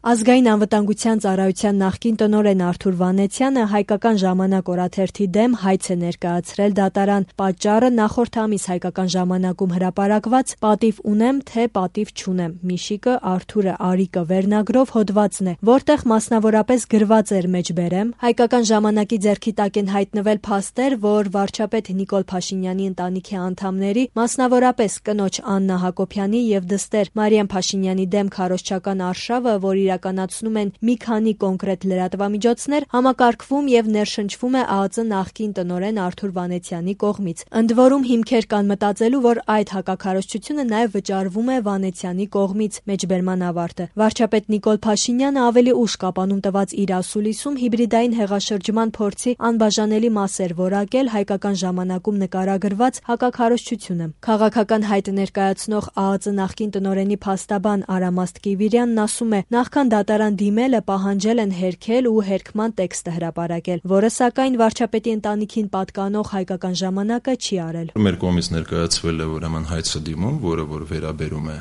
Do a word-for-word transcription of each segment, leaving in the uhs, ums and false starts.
Ազգային անվտանգության ծառայության նախկին տնօրեն Արթուր Վանեցյանը «Հայկական ժամանակ» օրաթերթի դեմ հայց է ներկայացրել դատարան։ Պատճառը նախորդ ամիս «Հայկական ժամանակ»-ում հրապարակված «Պատիվ ունեմ, թե պատիվ չունեմ. Միշիկը, Արթուրը, Արիկը» վերնագրով հոդվածն է, որտեղ մասնավորապես գրված էր մեջբերեմ. «Հայկական ժամանակ»-ի ձեռքի տակ են հայտնվել փաստեր, որ վարչապետ Նիկոլ Փաշինյանի ընտանիքի անդամների, մասնավորապես կնոջ Աննա Հակոբյանի և դստեր Մարիամ Փաշինյանի դեմ քարոզչական արշավը, որ իրականացնում են մի քանի կոնկրետ լրատվամիջոցներ, համակարգվում եւ ներշնչվում է ԱԱԾ նախկին տնօրեն Արթուր Վանեցյանի կողմից։ Ընդ որում հիմքեր կան մտածելու, որ այդ հակաքարոզչությունը նաեւ վճարվում է Վանեցյանի կողմից։ Մեջբերման ավարտը։ Վարչապետ Նիկոլ Փաշինյանը ավելի ուշ կապանում տված իր ասուլիսում հիբրիդային հեղաշրջման փորձի անբաժանելի մաս էր որակել «Հայկական ժամանակ»-ում նկարագրված հակաքարոզչությունը։ Քաղաքական հայտ ներկայացնող ԱԱԾ նախկին տնօրենի փաստաբան Արամաստ Կիվիրյանն ասում է. նախքան դատարան դիմելը պահանջել են հերքել ու հերքման տեքստը հրապարակել, որը սակայն վարչապետի ընտանիքին պատկանող «Հայկական ժամանակ»-ը չի արել։ Մեր կողմից ներկայացվել է ուրեմն հայցը դիմում, որը որ վերաբերում է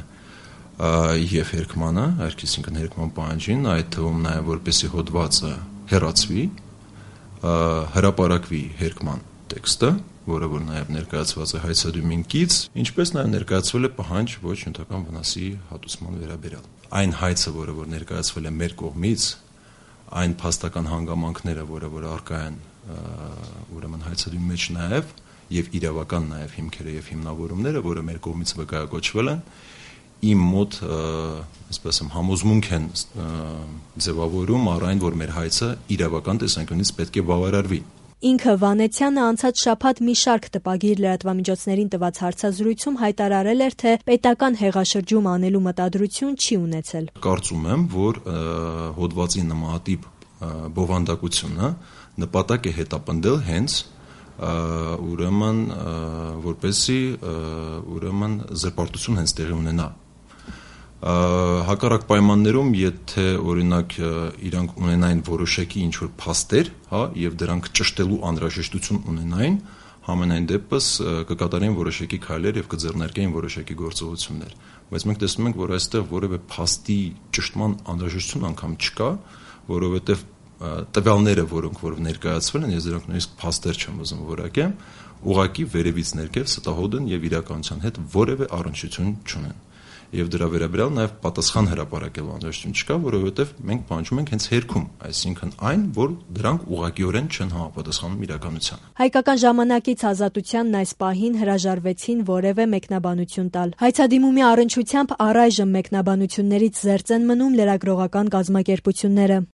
եւ հերքմանը, այսինքն հերքման պահանջին, այդ թվում նաեւ որպեսի հոդվածը հեռացվի, հրապարակվի հերքման տեքստը, որը որ նաեւ ներկայացված է հայցադիմին կից, ինչպես նաեւ ներկայացվել է պահանջ ոչ նյութական վնասի հատուցման վերաբերյալ։ Այն հայցը, որը որ ներկայացվել է մեր կողմից, այն փաստական հանգամանքները, որը որ առկա են ուրեմն հայցադիմի մեջ նաեւ եւ իրավական նաեւ հիմքերը եւ հիմնավորումները, որը մեր կողմից վկայակոչվել են, իմ մոտ, այսպես եմ, համոզմունք են ձևավորում առ այն, որ մեր հայցը իրավական տեսանկյունից պետք է բավարարվի։ Ինքը Վանեցյանը անցած շաբաթ մի շարք տպագիր լրատվամիջոցներին տված հարցազրույցում հայտարարել էր, թե պետական հեղաշրջում անելու մտադրություն չի ունեցել։ Կարծում եմ, որ հոդվածի նմանատիպ բովանդակությունը նպատակ է հետապնդել հենց ուրեմն որպեսի ուրեմն զրպարտություն հենց տեղի ունենա։ Հակառակ պայմաններում, եթե օրինակ իրանք ունենային որոշակի ինչ-որ փաստեր, հա, եւ դրանք ճշտելու անհրաժեշտություն ունենային, համենայն դեպս կկատարեին որոշակի քայլեր եւ կձեռնարկեին որոշակի գործողություններ։ Բայց մենք տեսնում ենք, որ այստեղ որևէ փաստի ճշտման անհրաժեշտություն անգամ չկա, որովհետեւ տվյալները, որոնք որ ներկայացվել են, ես դրանք նույնիսկ փաստեր չեմ ուզում որակեմ, ուղղակի վերևից ներքև ստահոդ են եւ իրականության հետ որևէ առնչություն չունեն։ Եվ դրա վերաբերյալ նաև պատասխան հրապարակելու անհրաժեշտություն չկա, որովհետև մենք պահանջում ենք հենց հերքում, այսինքն այն, որ դրանք ուղղակիորեն չեն համապատասխանում իրականությանը։ Հայկական ժամանակից Ազատությանն այս պահին հրաժարվեցին որևէ մեկնաբանություն տալ։ Հայցադիմումի առնչությամբ առայժմ մեկնաբանություններից զերծ են մնում լրագրողական կազմակերպությունները։